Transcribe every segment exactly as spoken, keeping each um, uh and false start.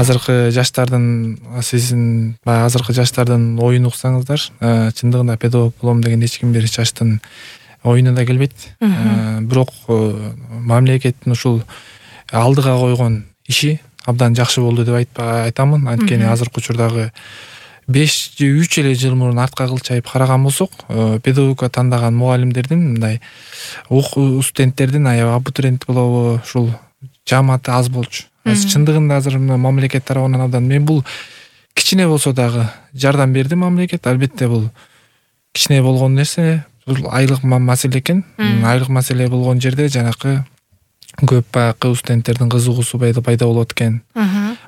азыркы жаштардын сиздин баягы азыркы жаштардын оюн уксаңыздар, чындыгында педагог болом деген эч ким бир жаштын оюна да келбейт. Бирок мамлекеттин ушул алдыга койгон иши абдан жакшы болду деп айтамын. Анткени азыркы учурдагы беш же үч эле жыл мурун артка кылчайып караган болсок, педагогика тандаган мугалимдердин мындай студенттердин аябай абитуриент болобу, ушул жааматы аз болчу. Чындыгында азыр мамлекет тарабынан абдан мен бул кичине болсо дагы жардам берди мамлекет. Албетте бул кичине болгон нерсе, бул айлык маселе экен. Айлык маселе болгон жерде жанакы көп баягы студенттердин кызыгуусу пайда болот экен.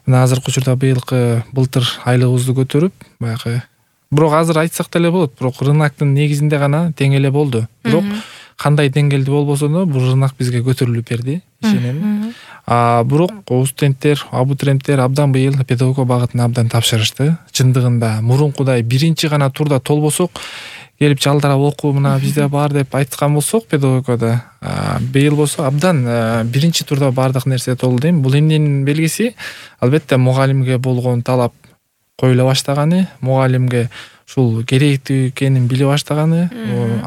Мына азыркы учурда быйылкы былтыр айлыгыбызды көтөрүп, баягы бирок азыр айтсак деле болот, бирок рыноктун негизинде гана тең эле болду. Бирок кандай деңгээлде болбосо да бул рынок бизге көтөрүлүп берди, ишенем. А бирок студенттер, абитуриенттер абдан быйыл педагогика багытына абдан тапшырышты. Чындыгында мурункудай биринчи гана турда толбосок, келип жалдырап окуу мына бизде бар деп айткан болсок педагогикада, быйыл болсо абдан биринчи турда бардык нерсе толду дейм. Бул эмненин белгиси? Албетте мугалимге болгон талап коюла баштаганы, мугалимге ушул керектүү экенин биле баштаганы,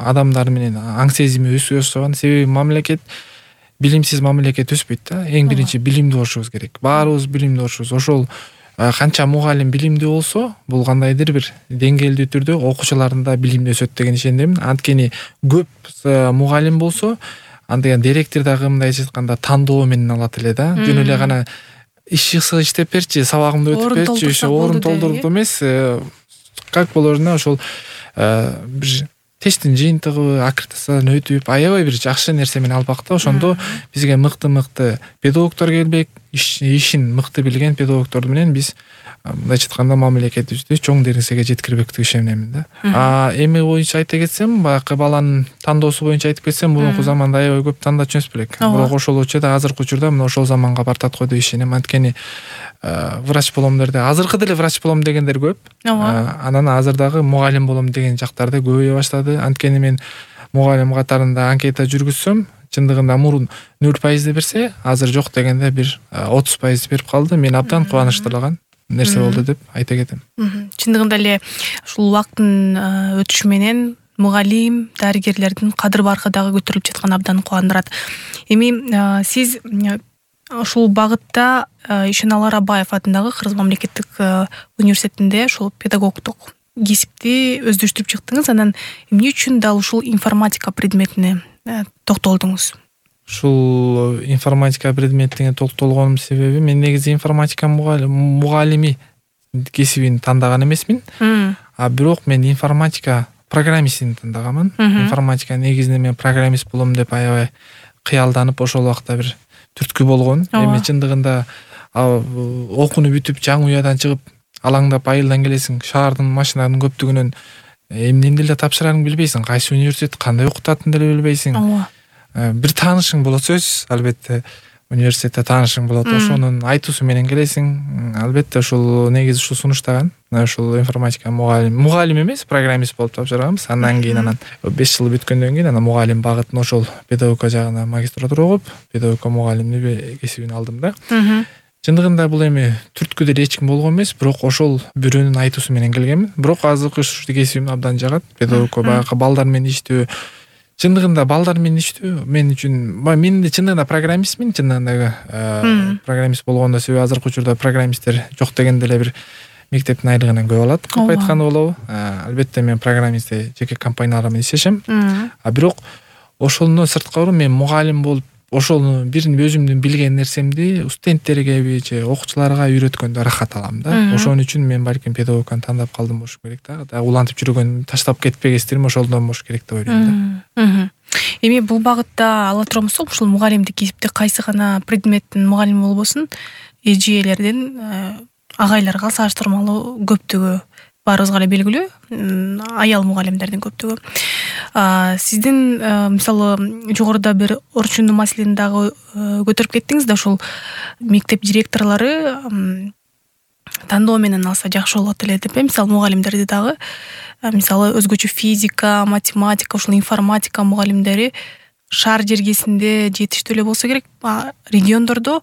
адамдар менен аң сезими өсө баштаган. Себеби мамлекет билимсиз мамлекет өспөйт да. Эң биринчи билимдүү болушубуз керек. Баарыбыз билимдүү болушубуз. Ошол канча мугалим билимдүү болсо, бул кандайдыр бир деңгээлдүү түрдө окуучулардын да билими өсөт деген ишендим. Анткени көп мугалим болсо, анда директор дагы мындай айтканда тандоо менен алат эле да. Жөн эле гана иш иштеп берчи, сабагымды өтүп берчи, ошо орун толтуруп эмес, как положено ошол бир тесттин жыйынтыгы аккредитациядан өтүп, аябай бир жакшы нерсе менен албак да. Ошондо бизге мыкты-мыкты педагогдор келбек, ишин мыкты билген педагогдор менен биз мындайча айтканда мамлекетибизди чоң нерсеге жеткирбек деп ишенем да. А эми боюнча айта кетсем, баягы баланын тандоосу боюнча айтып кетсем, мурунку заманда аябай көп тандачу эмес белек. Бирок ошол учурда азыркы учурда мына ошол заманга бартат го деп ишенем. Анткени врач болом дерде, азыркы деле врач болом дегендер көп. Анан азыр дагы мугалим болом деген жактарды көбөйө баштады. Анткени мен мугалим катарында анкета жүргүзсөм, чындыгында мурун нөл пайыз берсе, азыр жок дегенде бир отуз пайыз берип калды. Мен абдан кубанычтырган нерсе болду деп айта кетем. Чындыгында эле ушул убакыттын өтүшү менен мугалим, дарыгерлердин кадыр баркы дагы көтөрүлүп жатканы абдан кубандырат. Эми сиз ушул багытта Ишеналы Арабаев атындагы Кыргыз мамлекеттик университетинде ушул педагогдук кесипти өздөштүрүп чыктыңыз. Анан эмне үчүн дал ушул информатика предметине токтолдуңуз? Ушул информатика предметине токтолгонум себеби мен негизи информатика мугалими кесибин тандаган эмесмин. А бирок мен информатика программистин тандагамын. Информатика негизинде мен программист болом деп аябай кыялданып ошол убакта бир түрткү болгон. Эми чындыгында окууну бүтүп жаңы уядан чыгып алаңдап айылдан келесиң, шаардын машиналарынын көптүгүнөн эмнени деле тапшырарыңды билбейсиң, кайсы университет кандай окутатынын деле билбейсиң. Бир таанышың болот сөзсүз, албетте университетте таанышың болот, ошонун айтуусу менен келесиң. Албетте ушул негизи ушул сунуштаган. Ушул информатика мугалим, мугалим эмес, программист болуп тапшырганбыз. Андан кийин анан беш жыл бүткөндөн кийин анан мугалим багытын ошол педагогика жагына магистратура окуп, педагогика мугалимдиги кесибин алдым да. Чындыгында бул эми түрткү деле эч ким болгон эмес, бирок ошол бирөөнүн айтуусу менен келгенмин. Бирок азыркы ушул кесибим абдан жагат. Педагогика баягы балдар менен иштөө, чындыгында балдар менен иштөө мен үчүн, мен да чындыгында программистмин, чындыгында программист болгондо себеби азыркы учурда программисттер жок дегенде эле бир мектептин айлыгынан көп алат, көп айтканы болобу. Албетте мен программист жеке компаниялар менен иштешем. А бирок ошондон сырткары мен мугалим болуп, ошол бир өзүмдүн билген нерсемди студенттерге же окуучуларга үйрөткөндө рахат алам да. Ошон үчүн мен балким педагогиканы тандап калдым болуш керек да. Да улантып жүргөн, таштап кетпегестерим ошолдон болуш керек деп ойлойм да. Эми бул багытта ала турган болсок, ушул мугалимдик кесипте кайсы гана предметтин мугалими болбосун, эжелердин агайларга салыштырмалуу көптүгү баарыбызга эле белгилүү, аял мугалимдердин көптүгү. Сиздин мисалы жогоруда бир орчундуу маселени дагы көтөрүп кеттиңиз да, ушул мектеп директорлору тандоо менен алса жакшы болот эле деп. Мисалы мугалимдерди дагы, мисалы өзгөчө физика, математика, ушул информатика мугалимдери шаар жергесинде жетиштүү эле болсо керек. Региондордо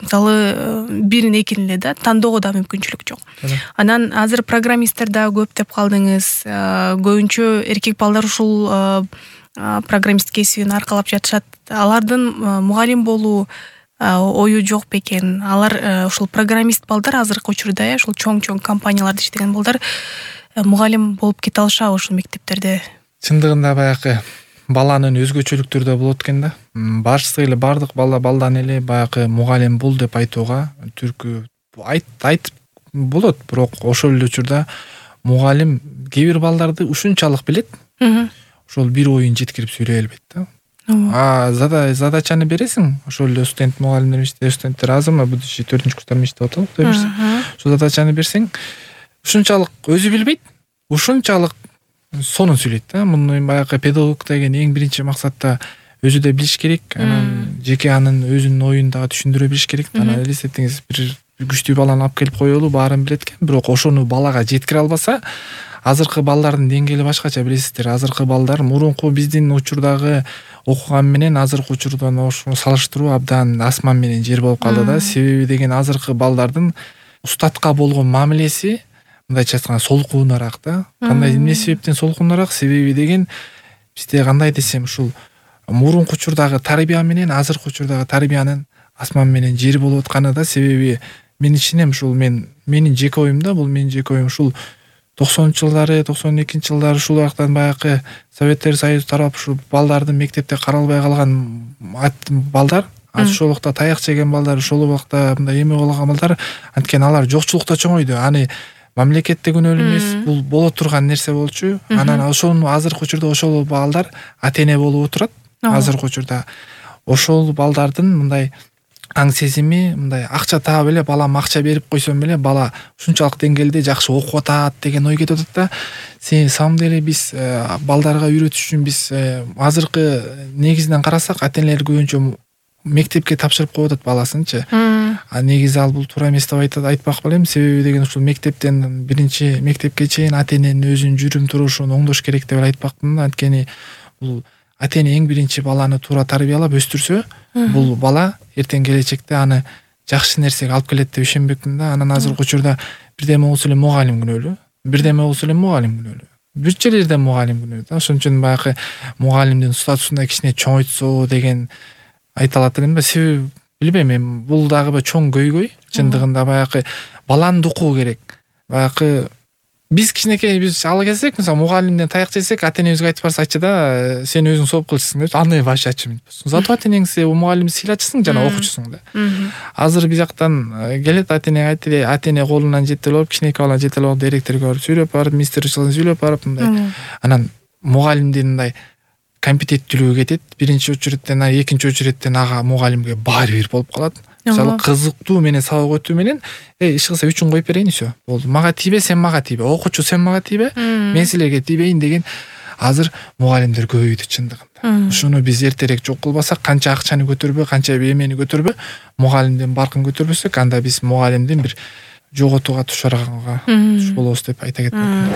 мисалы бирин экини эле да тандоого да мүмкүнчүлүк жок. Анан азыр программисттер да көп деп калдыңыз. Көбүнчө эркек балдар ушул программист кесибин аркалап жатышат. Алардын мугалим болуу ою жок бекен? Алар ушул программист балдар азыркы учурда ушул чоң-чоң компанияларда иштеген балдар мугалим болуп кете алышабы ушул мектептерде? Чындыгында баягы баланын өзгөчөлүктөрү да болот экен да. Башысы эле бардык бала балдан эле баягы мугалим бул деп айтууга түркү айт айтып болот, бирок ошол эле учурда мугалим кээ бир балдарды ушунчалык билет. Ошол бир оюн жеткирип сүйлөй албайт да. А задачаны бересиң, ошол эле студент мугалимдер менен студенттер азырмы будущий төртүнчү курстар менен иштеп атат. Ошол задачаны берсең, ушунчалык өзү билбейт, ушунчалык сонун сүйлөйт да. Муну баягы педагог деген эң биринчи максатта өзү да билиш керек, анан жеке анын өзүнүн оюн дагы түшүндүрө билиш керек. Анан элестетиңиз, бир күчтүү баланы алып келип коелу, баарын билет экен, бирок ошону балага жеткире албаса, азыркы балдардын деңгээли башкача, билесиздер. Азыркы балдар мурунку биздин учурдагы окуган менен азыркы учурдан ошону салыштыруу абдан асман менен жер болуп калды да. Себеби деген азыркы балдардын устатка болгон мамилеси мындайча айтканда солкуунараак да. Кандай эмне себептен солкуунараак? Себеби деген бизде кандай десем, ушул мурунку учурдагы тарбия менен азыркы учурдагы тарбиянын асман менен жер болуп атканы да. Себеби мен ишенем, ушул мен менин жеке оюм да, бул менин жеке оюм. Ушул токсонунчу жылдары, токсон экинчи жылдары ушул убактан баягы Советтер Союзу тарап ушул балдардын мектепте каралбай калган балдар, ошол убакта таяк жеген балдар, ошол убакта мындай эме болгон балдар, анткени алар жокчулукта чоңойду. Аны мамлекетте күнөөлүү эмес, бул боло турган нерсе болчу. Анан ошону азыркы учурда ошол балдар ата-эне болуп отурат. Азыркы учурда ошол балдардын мындай аң сезими, мындай акча таап эле, балам акча берип койсом эле бала ушунчалык деңгээлде жакшы окуп атат деген ой кетип атат да. Сен самом деле биз балдарга үйрөтүш үчүн биз азыркы негизинен карасак, ата-энелер көбүнчө мектепке тапшырып коюп атат баласынчы. А негизи ал бул туура эмес деп айтат, айтпак белем. Себеби деген ушул мектептен биринчи мектепке чейин ата-эненин өзүнүн жүрүм турушун оңдош керек деп айтпакмын да. Анткени бул ата-эне эң биринчи баланы туура тарбиялап өстүрсө, бул бала эртең келечекте аны жакшы нерсеге алып келет деп ишенбекмин да. Анан азыркы учурда бирдеме болсо эле мугалим күнөөлүү, бирдеме болсо эле мугалим күнөөлүү, бүт жерлерде мугалим күнөөлүү да. Ошон үчүн баягы мугалимдин статусун да кичине чоңойтсо деген айталат элем да. Себеби билбейм, эми бул дагы бир чоң көйгөй. Чындыгында баягы баланы укуу керек. Баягы биз кичинекей биз ала келсек, мисалы мугалимден таяк жесек, ата-энебизге айтып барса, айтчы да, сен өзүң сооп кылчысың деп, аны вообще ачымын. Зато ата-энеңизге мугалимди сыйлачысың жана окуучусуң да. Азыр биз жактан келет ата-эне айтты, ата-эне колунан жетелеп алып, кичинекей баланы жетелеп алып, директорго барып сүйлөп барып, министрчилигине сүйлөп барып, мындай. Анан мугалимдин мындай компетенттүүлүгү кетет. Биринчи очередден, экинчи очередден ага мугалимге баары бир болуп калат. Мисалы кызыктуу менен сабак өтүү менен э иш кылса үчүн коюп берейин, все. Болду. Мага тийбе, сен мага тийбе. Окуучу сен мага тийбе, мен силерге тийбейин деген азыр мугалимдер көбөйдү чындыгында. Ушуну биз эртерээк жок кылбасак, канча акчаны көтөрбө, канча эмени көтөрбө, мугалимдин баркын көтөрбөсөк, анда биз мугалимдин бир жоготууга тушарганга туш болобуз деп айта кетмекмин.